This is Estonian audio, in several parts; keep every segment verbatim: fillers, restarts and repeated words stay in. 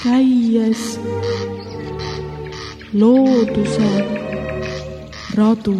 käies looduse radu.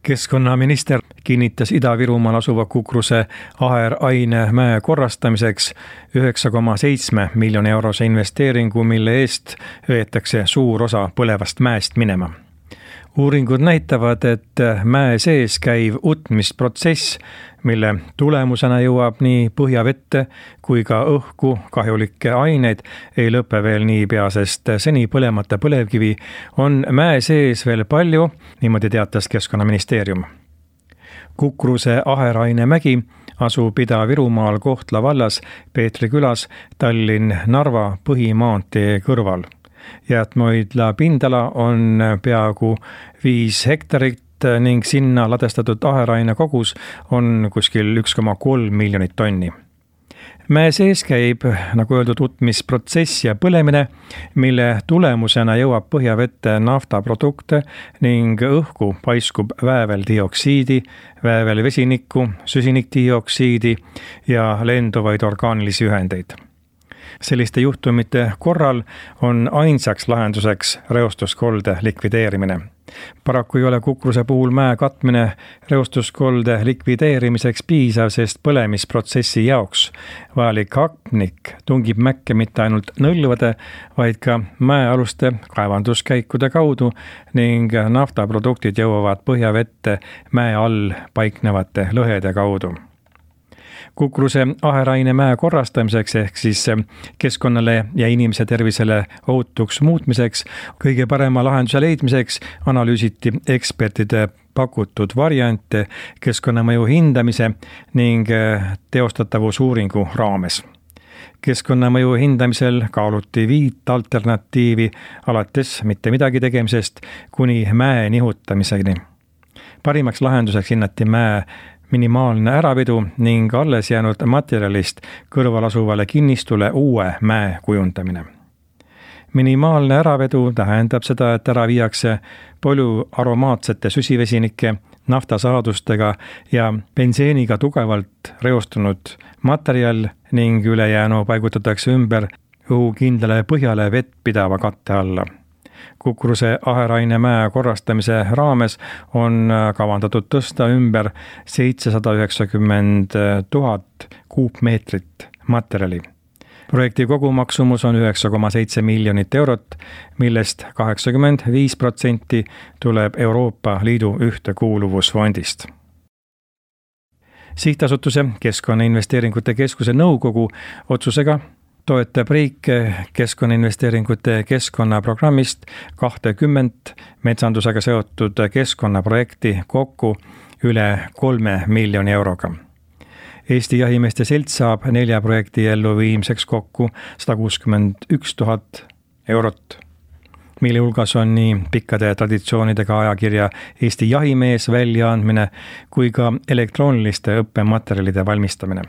Keskkonnaminister kinnitas Ida-Virumaal asuva Kukruse aheraine mäe korrastamiseks üheksa koma seitse miljoni eurose investeeringu, mille eest veetakse suur osa põlevast mäest minema. Uuringud näitavad, et mäe sees käiv utmisprotsess, mille tulemusena jõuab nii põhjavette kui ka õhku kahjulikke aineid, ei lõpe veel niipea, sest seni põlemata põlevkivi on mäe sees veel palju, niimoodi teatas Keskkonnaministeerium. Kukruse aheraine mägi asub Ida-Virumaal Kohtla vallas Peetri külas Tallinn-Narva põhimaantee kõrval. Jäätmehoidla pindala on peaaegu viis hektarit ning sinna ladestatud aheraine kogus on kuskil üks koma kolm miljonit tonni. Mäe sees käib, nagu öeldud, utmisprotsess ja põlemine, mille tulemusena jõuab põhjavette naftaprodukte ning õhku paiskub vääveldioksiidi, väävelvesinikku, süsinikdioksiidi ja lenduvaid orgaanilisi ühendeid. Selliste juhtumite korral on ainsaks lahenduseks reostuskolde likvideerimine. Paraku ei ole Kukruse puhul mäe katmine reostuskolde likvideerimiseks piisav, sest põlemisprotsessi jaoks vajalik hapnik tungib mäkke mitte ainult nõlvade, vaid ka mäealuste kaevanduskäikude kaudu ning naftaproduktid jõuavad põhjavette mäe all paiknevate lõhede kaudu. Kukruse aheraine mäe korrastamiseks ehk siis keskkonnale ja inimese tervisele ohutuks muutmiseks kõige parema lahenduse leidmiseks analüüsiti ekspertide pakutud variante keskkonnamõju hindamise ning teostatavusuuringu raames. Keskkonnamõju hindamisel kaaluti viit alternatiivi alates mitte midagi tegemisest kuni mäe nihutamiseni. Parimaks lahenduseks hinnati mäe minimaalne äravedu ning alles jäänud materjalist kõrval asuvale kinnistule uue mäe kujundamine. Minimaalne äravedu tähendab seda, et ära viiakse palju aromaatsete süsivesinike, naftasaadustega ja benseeniga tugevalt reostunud materjal ning ülejäänu paigutatakse ümber õhukindlale põhjale vett pidava katte alla. Kukruse aheraine mäe korrastamise raames on kavandatud tõsta ümber seitsesada üheksakümmend tuhat kuupmeetrit materjali. Projekti kogumaksumus on üheksa koma seitse miljonit eurot, millest kaheksakümmend viis protsenti tuleb Euroopa Liidu ühtekuuluvusfondist. Sihtasutuse Keskkonnainvesteeringute Keskuse nõukogu otsusega toetab riik keskkonnainvesteeringute keskkonnaprogrammist kahtekümmet metsandusega seotud keskkonnaprojekti kokku üle kolme miljoni euroga. Eesti Jahimeeste Selts saab nelja projekti elluviimiseks kokku sada kuuskümmend üks tuhat eurot, mille hulgas on nii pikkade traditsioonidega ajakirja Eesti Jahimees väljaandmine kui ka elektrooniliste õppematerjalide valmistamine.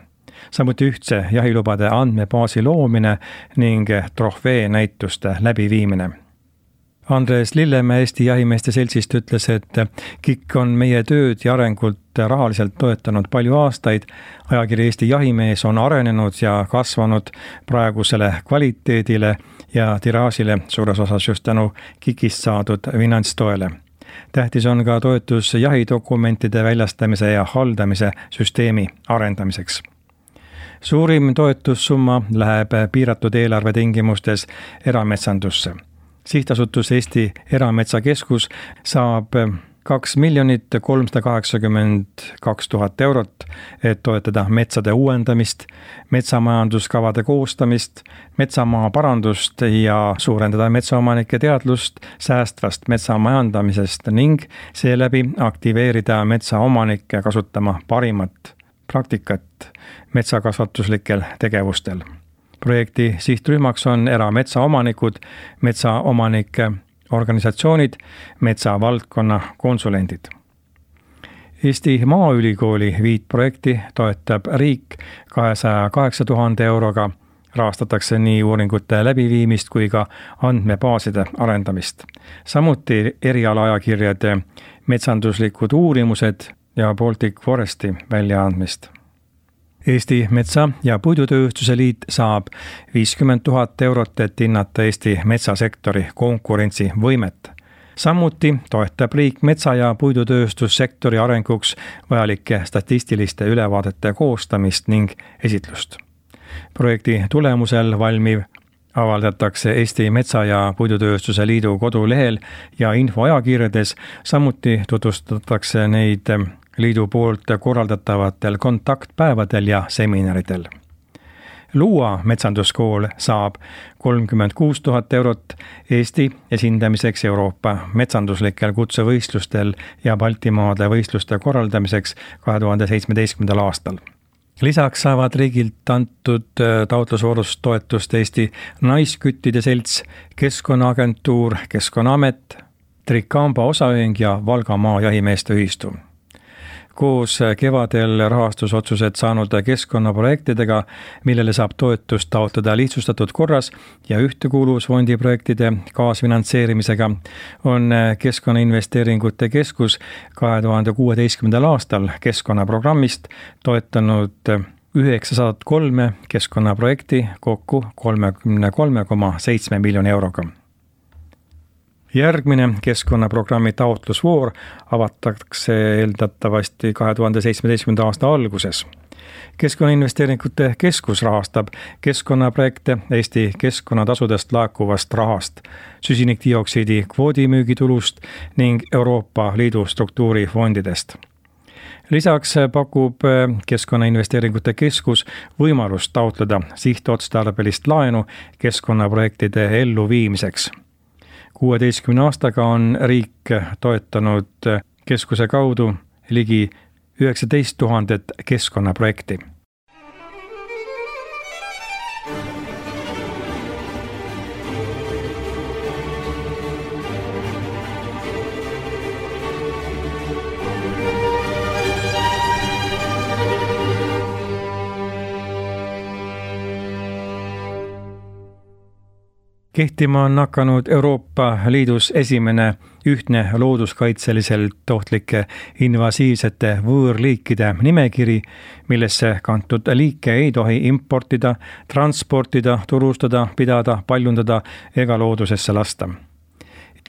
Samuti ühtse jahilubade andmebaasi loomine ning trofee näituste läbiviimine. Andres Lillemäe Eesti Jahimeeste Seltsist ütles, et K I K on meie tööd ja arengult rahaliselt toetanud palju aastaid. Ajakiri Eesti Jahimees on arenenud ja kasvanud praegusele kvaliteedile ja tiraažile suures osas just tänu K I K-ist saadud finantstoele. Tähtis on ka toetus jahidokumentide väljastamise ja haldamise süsteemi arendamiseks. Suurim toetussumma läheb piiratud eelarve tingimustes erametsandusse. Sihtasutus Eesti Erametsakeskus saab kaks miljonit kolmsada kaheksakümmend kaks tuhat eurot, et toetada metsade uuendamist, metsamajanduskavade koostamist, metsamaa parandust ja suurendada metsaomanike teadlust säästvast metsamajandamisest ning seeläbi aktiveerida metsaomanikke kasutama parimat praktikat metsakasvatuslikel tegevustel. Projekti sihtrühmaks on erametsaomanikud, metsaomanike organisatsioonid, metsavaldkonna konsulendid. Eesti Maaülikooli viit projekti toetab riik kahesaja kaheksa tuhande euroga, rahastatakse nii uuringute läbiviimist kui ka andmebaaside arendamist. Samuti erialaajakirjade metsanduslikud uurimused ja Baltic Foresti väljaandmist. Eesti Metsa- ja Puidutööstuse Liit saab viiskümmend tuhat eurot, et hinnata Eesti metsasektori konkurentsivõimet. Samuti toetab riik metsa- ja puidutööstussektori arenguks vajalike statistiliste ülevaadete koostamist ning esitlust. Projekti tulemusel valmiv avaldatakse Eesti Metsa- ja Puidutööstuse Liidu kodulehel ja infoajakirjades, samuti tutvustatakse neid liidu poolt korraldatavatel kontaktpäevadel ja seminaridel. Luua metsanduskool saab kolmkümmend kuus tuhat eurot Eesti esindamiseks Euroopa metsanduslikel kutsevõistlustel ja Baltimaade võistluste korraldamiseks kahe tuhande seitsmeteistkümnendal aastal. Lisaks saavad riigilt antud taotlusvoorus toetust Eesti Naisküttide Selts, Keskkonnaagentuur, Keskkonnaamet, Trikamba osaühing ja Valgamaa jahimeeste ühistu. Koos kevadel rahastusotsused saanud keskkonnaprojektidega, millele saab toetust taotleda lihtsustatud korras ja ühtekuuluvusfondi projektide kaasfinantseerimisega, on Keskkonnainvesteeringute Keskus kahe tuhande kuueteistkümnendal aastal keskkonnaprogrammist toetanud üheksasada kolm keskkonnaprojekti kokku kolmekümne kolme koma seitsme miljoni euroga. Järgmine keskkonnaprogrammi taotlusvoor avatakse eeldatavasti kahe tuhande seitsmeteistkümnenda aasta alguses. Keskkonnainvesteeringute Keskus rahastab keskkonnaprojekte Eesti keskkonnatasudest laekuvast rahast, süsinikdioksiidi kvoodimüügitulust ning Euroopa Liidu struktuurifondidest. Lisaks pakub Keskkonnainvesteeringute Keskus võimalust taotleda sihtotstarbelist laenu keskkonnaprojektide elluviimiseks. kuueteistkümne aastaga on riik toetanud keskuse kaudu ligi üheksateist tuhandet keskkonnaprojekti. Kehtima on hakanud Euroopa Liidus esimene ühtne looduskaitseliselt ohtlike invasiivsete võõrliikide nimekiri, millesse kantud liike ei tohi importida, transportida, turustada, pidada, paljundada ega loodusesse lasta.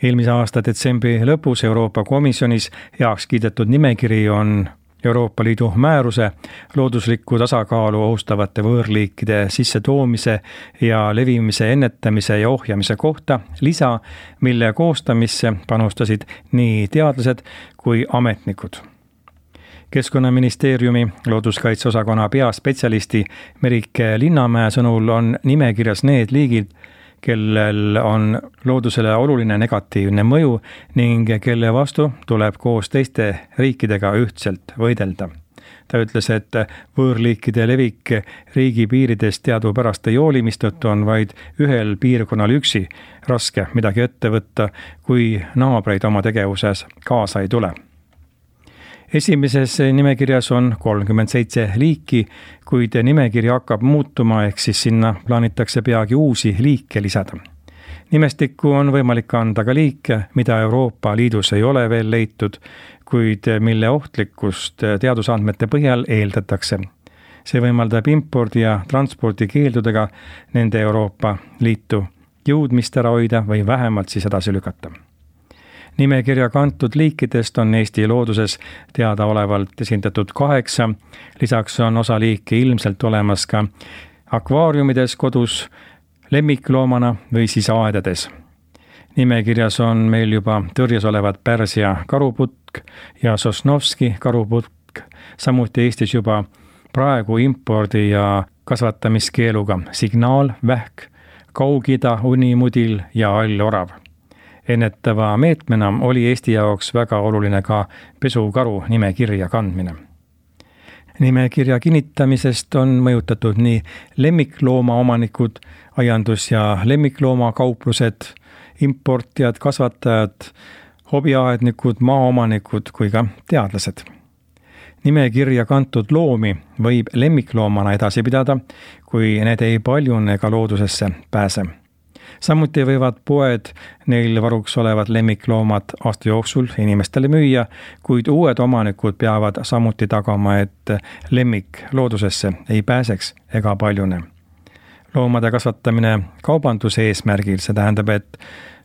Eelmise aasta detsembri lõpus Euroopa Komisjonis heaks kiidetud nimekiri on Euroopa Liidu määruse looduslikku tasakaalu ohustavate võõrliikide sissetoomise ja levimise ennetamise ja ohjamise kohta lisa, mille koostamisse panustasid nii teadlased kui ametnikud. Keskkonnaministeeriumi looduskaitseosakonna peaspetsialisti Merike Linnamäe sõnul on nimekirjas need liigid, kellel on loodusele oluline negatiivne mõju ning kelle vastu tuleb koos teiste riikidega ühtselt võidelda. Ta ütles, et võõrliikide levik riigi piiridest teadupärast ei hooli, mistõttu on vaid ühel piirkonnal üksi raske midagi ette võtta, kui naabreid oma tegevuses kaasa ei tule. Esimeses nimekirjas on kolmkümmend seitse liiki, kuid nimekiri hakkab muutuma, ehk siis sinna plaanitakse peagi uusi liike lisada. Nimestikku on võimalik anda ka liike, mida Euroopa Liidus ei ole veel leitud, kuid mille ohtlikkust teadusandmete põhjal eeldatakse. See võimaldab impordi ja transpordi keeldudega nende Euroopa Liitu jõudmist ära hoida või vähemalt siis edasi lükata. Nimekirja kantud liikidest on Eesti looduses teadaolevalt esindatud kaheksa, lisaks on osa liike ilmselt olemas ka akvaariumides kodus, lemmikloomana või siis aedades. Nimekirjas on meil juba tõrjes olevad Pärsia karuputk ja Sosnovski karuputk, samuti Eestis juba praegu impordi ja kasvatamiskeeluga signaal, vähk, Kaug-Ida unimudil ja allorav. Ennetava meetmena oli Eesti jaoks väga oluline ka pesukaru nimekirja kandmine. Nimekirja kinnitamisest on mõjutatud nii lemmikloomaomanikud, aiandus- ja lemmikloomakauplused, importijad, kasvatajad, hobiaednikud, maaomanikud kui ka teadlased. Nimekirja kantud loomi võib lemmikloomana edasi pidada, kui need ei paljune ega loodusesse pääse. Samuti võivad poed neil varuks olevad lemmikloomad aasta jooksul inimestele müüa, kuid uued omanikud peavad samuti tagama, et lemmik loodusesse ei pääseks ega paljune. Loomade kasvatamine kaubanduse eesmärgil, see tähendab, et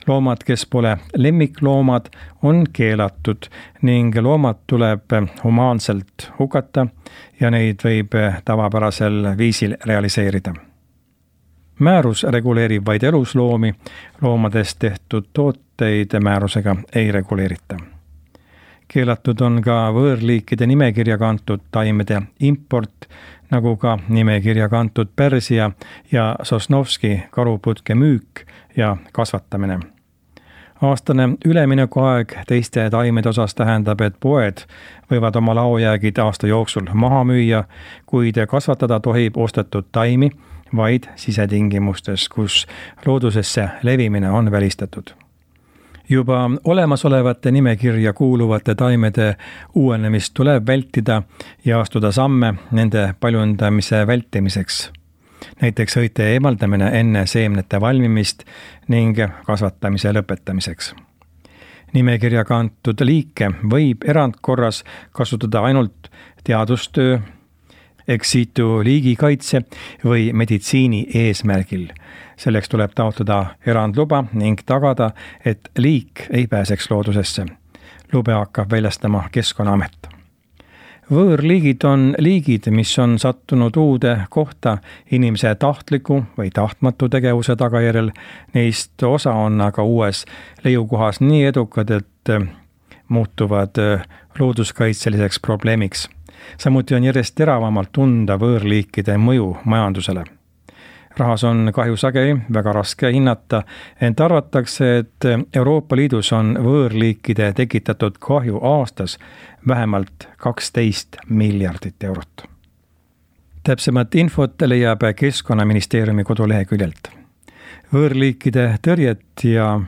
loomad, kes pole lemmikloomad, on keelatud ning loomad tuleb humaanselt hukata ja neid võib tavapärasel viisil realiseerida. Määrus reguleerib vaid elusloomi, loomadest tehtud tooteid määrusega ei reguleerita. Keelatud on ka võõrliikide nimekirja kantud taimede import, nagu ka nimekirja kantud Pärsia ja Sosnovski karuputke müük ja kasvatamine. Aastane üleminekuaeg teiste taimede osas tähendab, et poed võivad oma laojäägid aasta jooksul maha müüa, kuid kasvatada tohib ostetud taimi vaid sisetingimustes, kus loodusesse levimine on välistatud. Juba olemasolevate nimekirja kuuluvate taimede uuenemist tuleb vältida ja astuda samme nende paljundamise vältimiseks. Näiteks õite eemaldamine enne seemnete valmimist ning kasvatamise lõpetamiseks. Nimekirja kantud liike võib erandkorras kasutada ainult teadustöö, ex situ liigikaitse või meditsiini eesmärgil. Selleks tuleb taotleda erandluba ning tagada, et liik ei pääseks loodusesse. Lube hakkab väljastama Keskkonnaamet. Võõrliigid on liigid, mis on sattunud uude kohta inimese tahtliku või tahtmatu tegevuse tagajärjel. Neist osa on aga uues leiukohas nii edukad, et muutuvad looduskaitseliseks probleemiks. Samuti on järjest teravamalt tunda võõrliikide mõju majandusele. Rahas on kahju sageli väga raske hinnata, ent arvatakse, et Euroopa Liidus on võõrliikide tekitatud kahju aastas vähemalt kaksteist miljardit eurot. Täpsemat infot leiab Keskkonnaministeeriumi koduleheküljelt. Võõrliikide tõrjet ja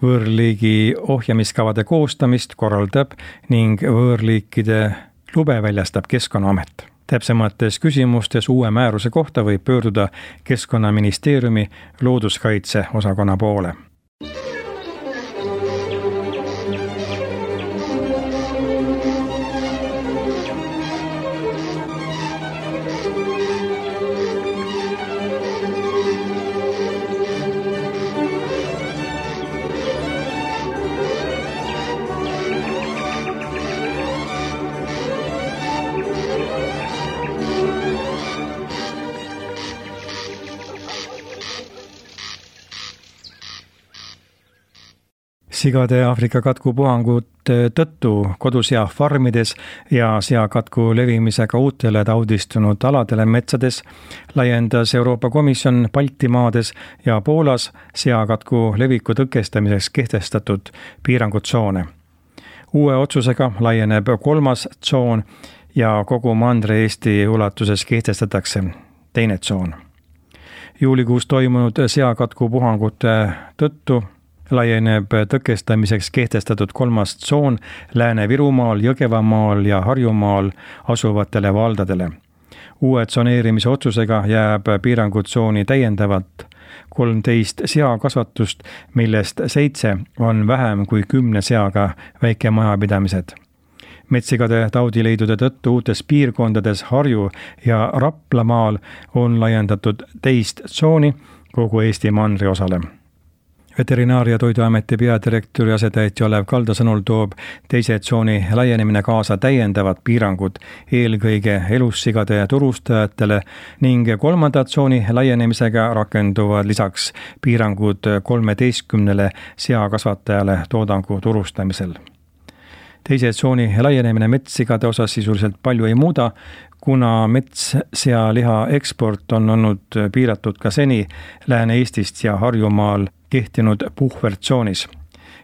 võõrliigi ohjamiskavade koostamist korraldab ning võõrliikide lube väljastab Keskkonnaamet. Täpsemates küsimustes uue määruse kohta võib pöörduda Keskkonnaministeeriumi looduskaitse osakonna poole. Sigade Aafrika katkupuhangute tõttu kodusea farmides ja seakatku levimisega uutele taudistunud aladele metsades laiendas Euroopa Komisjon Baltimaades ja Poolas seakatku leviku tõkestamiseks kehtestatud piirangutsoone. Uue otsusega laieneb kolmas tsoon ja kogu Mandri-Eesti ulatuses kehtestatakse teine tsoon. Juulikuus toimunud seakatkupuhangute tõttu laieneb tõkestamiseks kehtestatud kolmas tsoon Lääne-Virumaal, Jõgevamaal ja Harjumaal asuvatele valdadele. Uue tsoneerimise otsusega jääb piirangutsooni täiendavalt kolmteist seakasvatust, millest seitse on vähem kui kümne seaga väikemajapidamised. Metsigade taudileidude tõttu uutes piirkondades Harju ja Raplamaal on laiendatud teist tsooni kogu Eesti mandriosale. Veterinaar- ja Toiduameti peadirektori asetäitja Olev Kalda sõnul toob teise tsooni laienemine kaasa täiendavad piirangud eelkõige elussigade turustajatele ning kolmanda tsooni laienemisega rakenduvad lisaks piirangud kolmeteistkümnele seakasvatajale toodangu turustamisel. Teise tsooni laienemine metssigade osas sisuliselt palju ei muuda, kuna metssealiha eksport on olnud piiratud ka seni Lääne-Eestist ja Harjumaal kehtinud puhvertsoonis.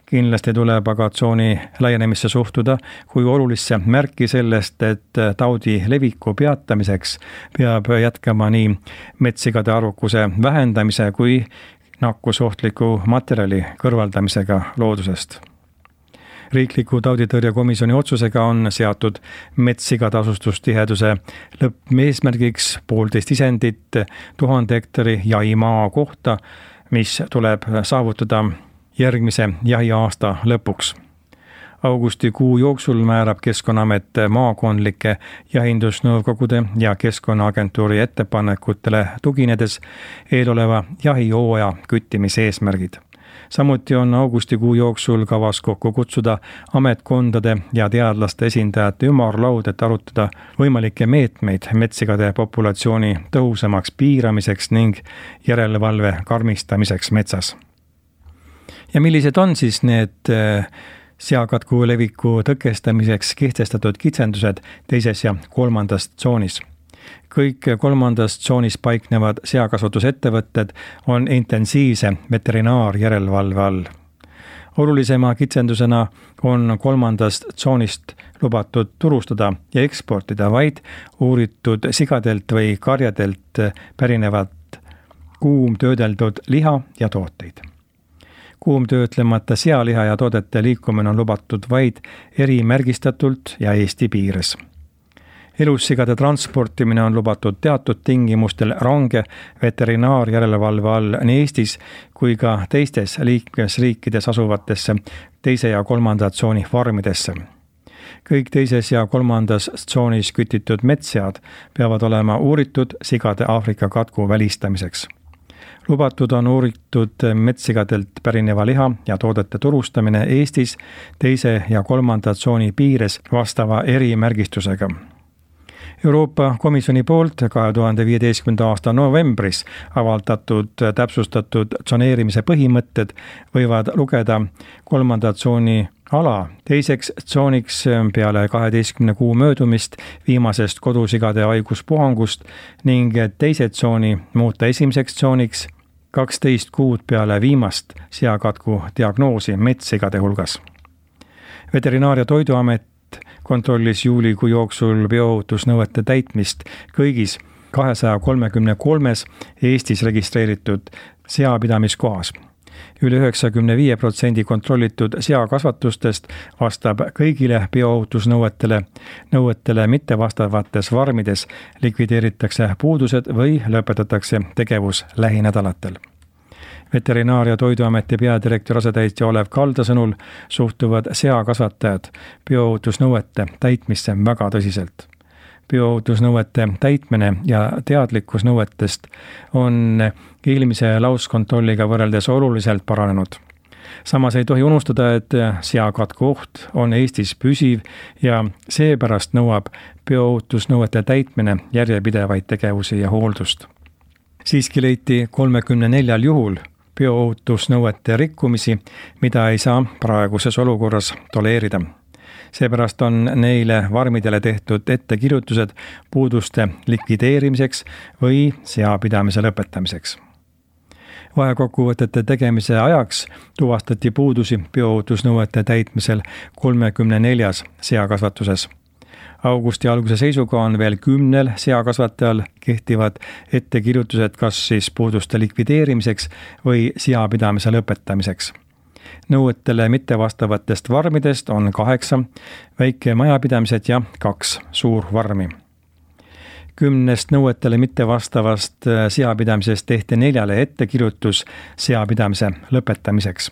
Kindlasti tuleb aga tsooni laienemisse suhtuda kui olulisse märki sellest, et taudi leviku peatamiseks peab jätkama nii metssigade arvukuse vähendamise kui nakkusohtliku materjali kõrvaldamisega loodusest. Riikliku tauditõrjekomisjoni otsusega on seatud metssigade asustustiheduse lõppeesmärgiks poolteist isendit tuhande hektari jahimaa kohta, mis tuleb saavutada järgmise jahiaasta lõpuks. Augustikuu jooksul määrab Keskkonnaamet maakondlike jahindusnõukogude ja Keskkonnaagentuuri ettepanekutele tuginedes eeloleva jahihooaja küttimise eesmärgid. Samuti on augustikuu jooksul kavas kokku kutsuda ametkondade ja teadlaste esindajate ümarlaud, et arutada võimalikke meetmeid metssigade populatsiooni tõhusamaks piiramiseks ning järelevalve karmistamiseks metsas. Ja millised on siis need seakatku leviku tõkestamiseks kehtestatud kitsendused teises ja kolmandas tsoonis? Kõik kolmandas tsoonis paiknevad seakasvatusettevõtted on intensiivse veterinaarjärelevalve all. Olulisema kitsendusena on kolmandast tsoonist lubatud turustada ja eksportida vaid uuritud sigadelt või karjadelt pärinevat kuumtöödeldud liha ja tooteid. Kuumtöötlemata sealiha ja toodete liikumine on lubatud vaid erimärgistatult ja Eesti piires. Elussigade transportimine on lubatud teatud tingimustel range veterinaarjärelevalve all nii Eestis kui ka teistes liikmesriikides asuvatesse teise ja kolmanda tsooni farmidesse. Kõik teises ja kolmandas tsoonis kütitud metssead peavad olema uuritud sigade Aafrika katku välistamiseks. Lubatud on uuritud metssigadelt pärineva liha ja toodete turustamine Eestis teise ja kolmanda tsooni piires vastava erimärgistusega. Euroopa Komisjoni poolt kahe tuhande viieteistkümnenda aasta novembris avaldatud täpsustatud tsoneerimise põhimõtted võivad lugeda kolmanda tsooni ala teiseks tsooniks peale kaheteistkümne kuu möödumist viimasest kodusigade haiguspuhangust ning teise tsooni muuta esimeseks tsooniks kaksteist kuud peale viimast seakatku diagnoosi metssigade hulgas. Veterinaar- ja Toiduamet kontrollis juulikuu jooksul bioohutusnõuete täitmist kõigis kahesaja kolmekümne kolmes Eestis registreeritud seapidamiskohas. Üle üheksakümne viie protsendi kontrollitud seakasvatustest vastab kõigile bioohutusnõuetele, nõuetele mittevastavates farmides likvideeritakse puudused või lõpetatakse tegevus lähinädalatel. Veterinaar- ja Toiduameti peadirektori asetäitja Olev Kalda sõnul suhtuvad seakasvatajad bioohutusnõuete täitmisse väga tõsiselt. Bioohutusnõuete täitmine ja teadlikkus nõuetest on eelmise lauskontrolliga võrreldes oluliselt paranenud. Samas ei tohi unustada, et seakatku oht on Eestis püsiv ja seepärast nõuab bioohutusnõuete täitmine järjepidevaid tegevusi ja hooldust. Siiski leiti kolmekümne neljal juhul bioohutusnõuete rikkumisi, mida ei saa praeguses olukorras toleerida. Seepärast on neile farmidele tehtud ettekirjutused puuduste likvideerimiseks või seapidamise lõpetamiseks. Vahekokkuvõtete tegemise ajaks tuvastati puudusi bioohutusnõuete täitmisel kolmekümne neljas seakasvatuses. Augusti alguse seisuga on veel kümnel seakasvatajal kehtivad ettekirjutused kas siis puuduste likvideerimiseks või seapidamise lõpetamiseks. Nõuetele mittevastavatest farmidest on kaheksa väikemajapidamised ja kaks suurfarmi. Kümnest nõuetele mittevastavast seapidamisest tehti neljale ettekirjutus seapidamise lõpetamiseks.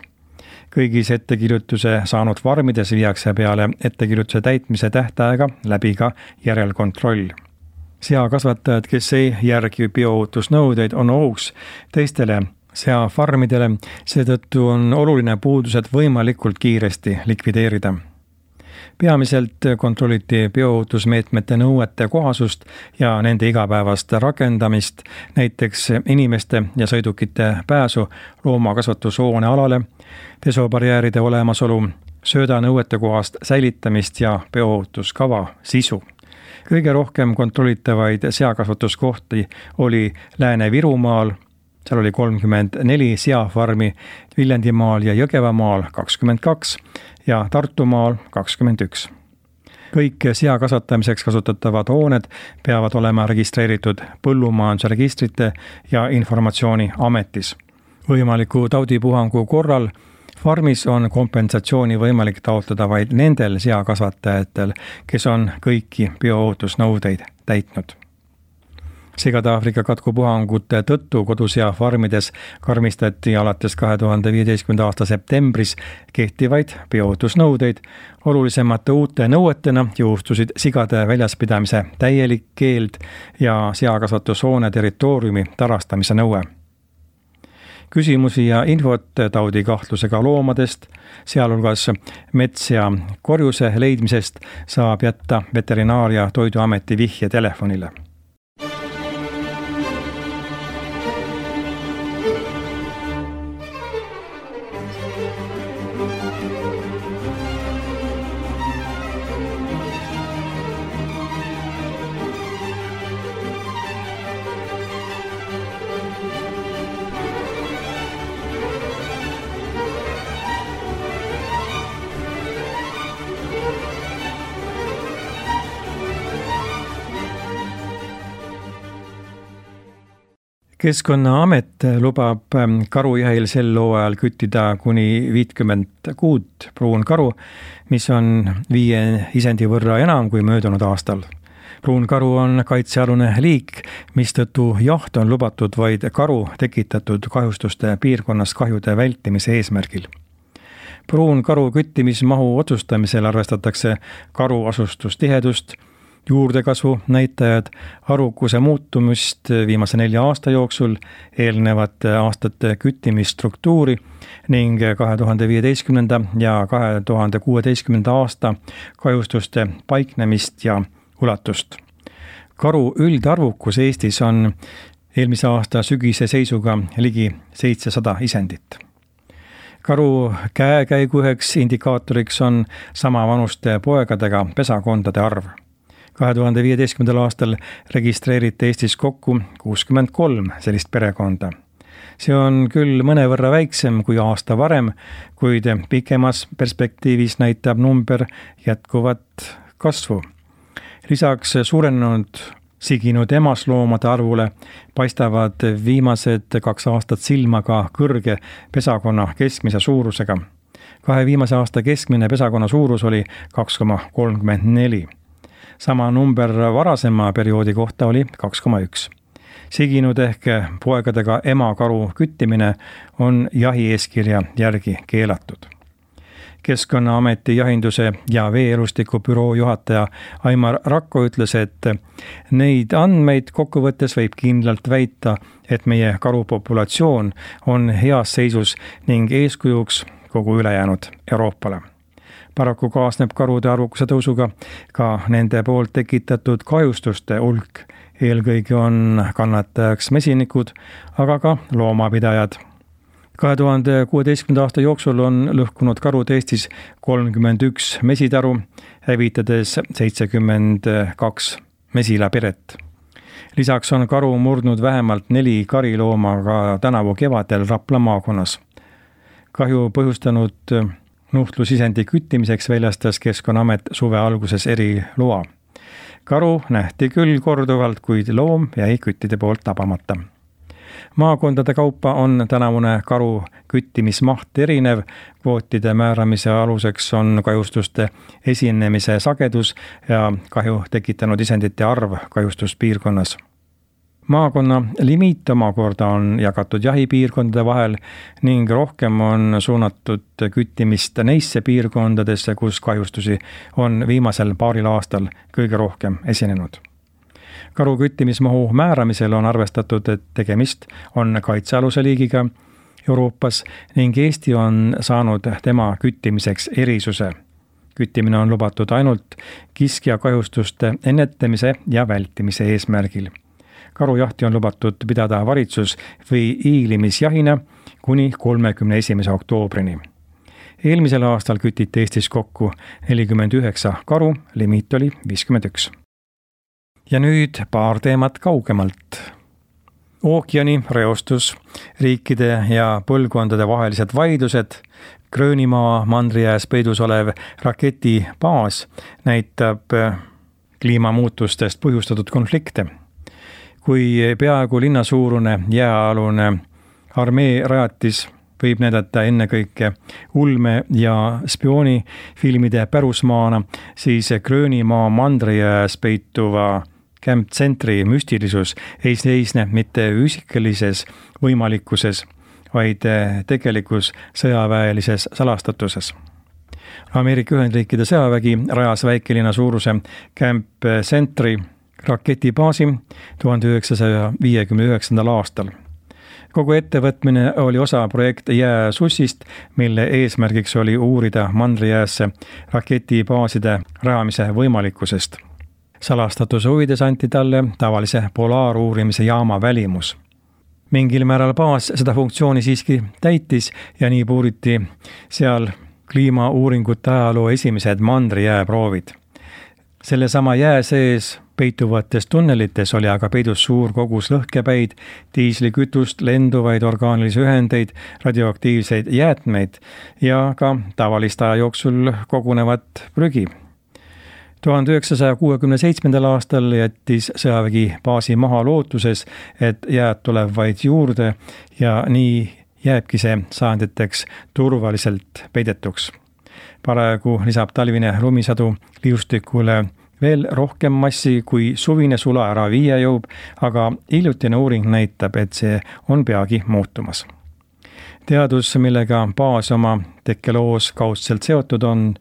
Kõigis ettekirjutuse saanud farmides viiakse peale ettekirjutuse täitmise tähtaega läbi ka järelkontroll. Seakasvatajad, kes ei järgi bioohutusnõudeid, on ohuks teistele seafarmidele, seetõttu on oluline puudused võimalikult kiiresti likvideerida. Peamiselt kontrolliti bioohutusmeetmete nõuete kohasust ja nende igapäevast rakendamist, näiteks inimeste ja sõidukite pääsu loomakasvatushoone alale, pesubarjääride olemasolu, söödanõuete kohast säilitamist ja bioohutuskava sisu. Kõige rohkem kontrollitavaid seakasvatuskohti oli Lääne-Virumaal, seal oli kolmkümmend neli seafarmi, Viljandimaal ja Jõgevamaal kakskümmend kaks ja Tartumaal kakskümmend üks. Kõik sea kasvatamiseks kasutatavad hooned peavad olema registreeritud põllumajandusregistrite ja informatsiooni ametis. Võimaliku taudipuhangu korral farmis on kompensatsiooni võimalik taotleda vaid nendel seakasvatajatel, kes on kõiki bioohutusnõudeid täitnud. Sigade-Aafrika katkupuhangute tõttu koduseafarmides karmistati alates kahe tuhande viieteistkümnenda aasta septembris kehtivaid bioohutusnõudeid. Olulisemate uute nõuetena jõustusid sigade väljaspidamise täielik keeld ja seakasvatushoone territooriumi tarastamise nõue. Küsimusi ja infot taudikahtlusega loomadest, sealhulgas mets- ja korjuse leidmisest, saab jätta Veterinaar- ja Toiduameti vihje telefonile. Keskkonnaamet lubab karujahil sel hooajal küttida kuni viitkümmend kuut pruunkaru, mis on viie isendi võrra enam kui möödunud aastal. Pruunkaru on kaitsealune liik, mistõttu jaht on lubatud vaid karu tekitatud kahjustuste piirkonnas kahjude vältimise eesmärgil. Pruunkaru küttimismahu otsustamisel arvestatakse karu asustustihedust, juurdekasvu näitajad, arvukuse muutumist viimase nelja aasta jooksul, eelnevate aastate küttimisstruktuuri ning kahe tuhande viieteistkümnenda ja kahe tuhande kuueteistkümnenda aasta kahjustuste paiknemist ja ulatust. Karu üldarvukus Eestis on eelmise aasta sügise seisuga ligi seitsesada isendit. Karu käekäigu üheks indikaatoriks on samavanuste poegadega pesakondade arv. kahe tuhande viieteistkümnendal aastal registreeriti Eestis kokku kuuskümmend kolm sellist perekonda. See on küll mõnevõrra väiksem kui aasta varem, kuid pikemas perspektiivis näitab number jätkuvat kasvu. Lisaks suurenenud siginud emasloomade arvule paistavad viimased kaks aastat silma ka kõrge pesakonna keskmise suurusega. Kahe viimase aasta keskmine pesakonna suurus oli kaks koma kolmkümmend neli. Sama number varasema perioodi kohta oli kaks koma üks. Siginud ehk poegadega emakaru küttimine on jahieeskirja järgi keelatud. Keskkonnaameti jahinduse ja veeelustiku büroo juhataja Aimar Rakko ütles, et neid andmeid kokkuvõttes võib kindlalt väita, et meie karupopulatsioon on heas seisus ning eeskujuks kogu ülejäänud Euroopale. Paraku kaasneb karude arvukuse tõusuga ka nende poolt tekitatud kahjustuste hulk. Eelkõige on kannatajaks mesinikud, aga ka loomapidajad. kahe tuhande kuueteistkümnenda aasta jooksul on lõhkunud karud Eestis kolmkümmend üks mesitaru, hävitades seitsekümmend kaks mesilaperet. Lisaks on karu murdnud vähemalt neli karilooma ka tänavu kevadel Rapla maakonnas. Kahju põhjustanud nuhtlusisendi küttimiseks väljastas Keskkonnaamet suve alguses eriloa. Karu nähti küll korduvalt, kuid loom jäi küttide poolt tabamata. Maakondade kaupa on tänavune karu küttimismaht erinev, kvootide määramise aluseks on kahjustuste esinemise sagedus ja kahju tekitanud isendite arv kahjustuspiirkonnas. Maakonna limiit omakorda on jagatud jahipiirkondade vahel ning rohkem on suunatud küttimist neisse piirkondadesse, kus kahjustusi on viimasel paaril aastal kõige rohkem esinenud. Karu küttimismahu määramisel on arvestatud, et tegemist on kaitsealuse liigiga Euroopas ning Eesti on saanud tema küttimiseks erisuse. Küttimine on lubatud ainult kiskja kahjustuste ennetamise ja vältimise eesmärgil. Karujahti on lubatud pidada varitsus- või iilimisjahina kuni kolmekümne esimese oktoobrini. Eelmisel aastal kütiti Eestis kokku nelikümmend üheksa karu, limiit oli viiskümmend üks. Ja nüüd paar teemat kaugemalt. ookeani reostus, riikide ja põlvkondade vahelised vaidlused, Gröönimaa mandrijääs peidus olev raketibaas näitab kliimamuutustest põhjustatud konflikte. Kui peaaegu linnasuurune jääalune armee rajatis võib näidata ennekõike ulme- ja spioonifilmide pärusmaana, siis Gröönimaa mandrijääs peituva Camp Centri müstilisus ei seisne mitte üsikelises võimalikkuses, vaid tegelikus sõjaväelises salastatuses. Ameerika Ühendriikide sõjavägi rajas väikelinna suuruse Camp Centri raketibaasi tuhande üheksasaja viiekümne üheksandal aastal. Kogu ettevõtmine oli osa projekt Jääsussist, mille eesmärgiks oli uurida mandrijäässe raketibaaside rajamise võimalikkusest. Salastatuse huvides anti talle tavalise polaaruurimise jaama välimus. Mingil määral baas seda funktsiooni siiski täitis ja nii puuriti seal kliimauuringute ajaloo esimesed mandrijääproovid. Selle sama jää sees peituvates tunnelites oli aga peidus suur kogus lõhkepäid, diislikütust, lenduvaid orgaanilisi ühendeid, radioaktiivseid jäätmeid ja ka tavalist aja jooksul kogunevat prügi. tuhande üheksasaja kuuekümne seitsmendal aastal jättis sõjavägi baasi maha lootuses, et jääd tuleb vaid juurde ja nii jääbki see sajanditeks turvaliselt peidetuks. Paraegu lisab talvine lumisadu liustikule veel rohkem massi, kui suvine sula ära viia jõub, aga hiljutine uuring näitab, et see on peagi muutumas. Teadus, millega baas oma tekkeloos kaudselt seotud on,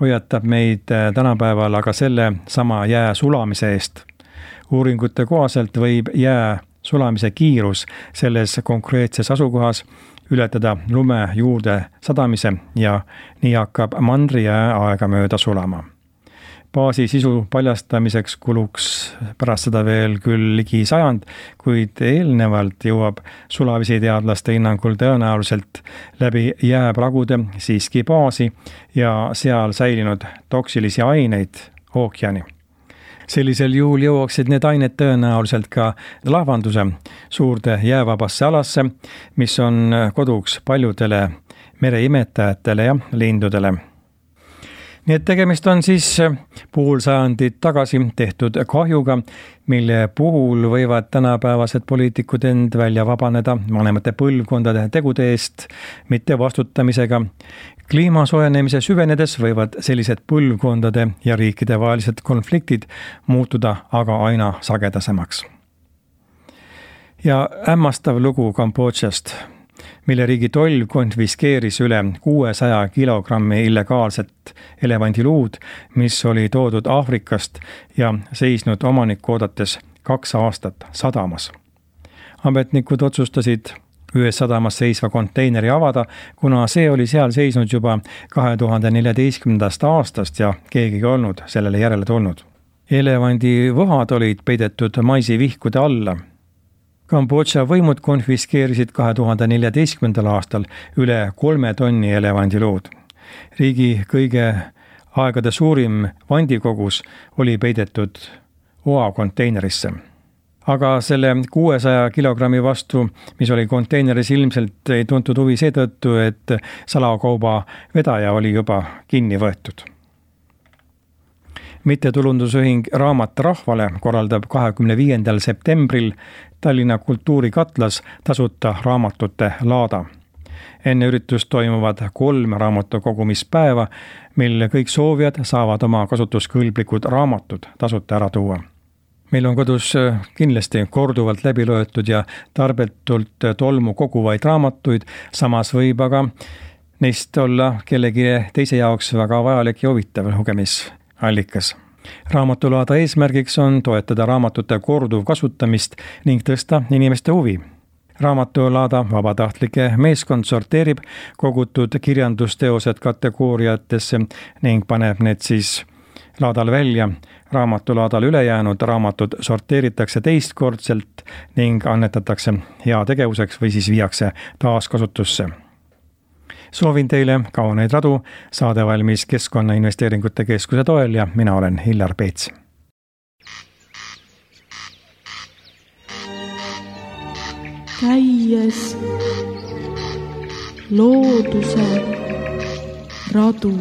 hoiatab meid tänapäeval aga selle sama jää sulamise eest. Uuringute kohaselt võib jää sulamise kiirus selles konkreetses asukohas ületada lume juurde sadamise ja nii hakkab mandrijää aegamööda sulama. Baasi sisu paljastamiseks kuluks pärast seda veel küll ligi sajand, kuid eelnevalt jõuab sulavisi teadlaste hinnangul tõenäoliselt läbi jääpragude siiski baasi ja seal säilinud toksilisi aineid ookeani. Sellisel juhul jõuaksid need ained tõenäoliselt ka lavanduse suurde jäävabasse alasse, mis on koduks paljudele mereimetajatele ja lindudele. Nii et tegemist on siis pool sajandit tagasi tehtud kahjuga, mille puhul võivad tänapäevased poliitikud end välja vabaneda vanemate põlvkondade tegude eest, mitte vastutamisega. Kliima soojenemise süvenedes võivad sellised põlvkondade ja riikide vahelised konfliktid muutuda aga aina sagedasemaks. Ja hämmastav lugu Kambodžast, mille riigi toll konfiskeeris üle kuuesaja kilogrammi illegaalset elevandiluud, mis oli toodud Aafrikast ja seisnud omanikku oodates kaks aastat sadamas. Ametnikud otsustasid ühes sadamas seisva konteineri avada, kuna see oli seal seisnud juba kahe tuhande neljateistkümnendast aastast ja keegi ei olnud sellele järele tulnud. Elevandi võhad olid peidetud maisivihkude alla. Kambodža võimud konfiskeerisid kahe tuhande neljateistkümnendal aastal üle kolme tonni elevandiluud. Riigi kõige aegade suurim vandikogus oli peidetud oa konteinerisse. Aga selle kuuesaja kilogrammi vastu, mis oli konteineris, ilmselt ei tuntud huvi seetõttu, et salakauba vedaja oli juba kinni võetud. Mittetulundusühing Raamat rahvale korraldab kahekümne viiendal septembril Tallinna kultuurikatlas tasuta raamatute laada. Enne üritust toimuvad kolm raamatukogumispäeva, mil kõik soovijad saavad oma kasutuskõlblikud raamatud tasuta ära tuua. Meil on kodus kindlasti korduvalt läbi loetud ja tarbetult tolmu koguvaid raamatuid, samas võib aga neist olla kellegi teise jaoks väga vajalik ja huvitav lugemisallikas. Raamatulaada eesmärgiks on toetada raamatute korduv kasutamist ning tõsta inimeste huvi. Raamatulaada vabatahtlike meeskond sorteerib kogutud kirjandusteosed kategooriatesse ning paneb need siis laadal välja. Raamatulaadal ülejäänud raamatud sorteeritakse teistkordselt ning annetatakse heategevuseks või siis viiakse taaskasutusse. Soovin teile kauneid radu, saade valmis Keskkonnainvesteeringute Keskuse toel ja mina olen Hillar Peets. käies looduse radu.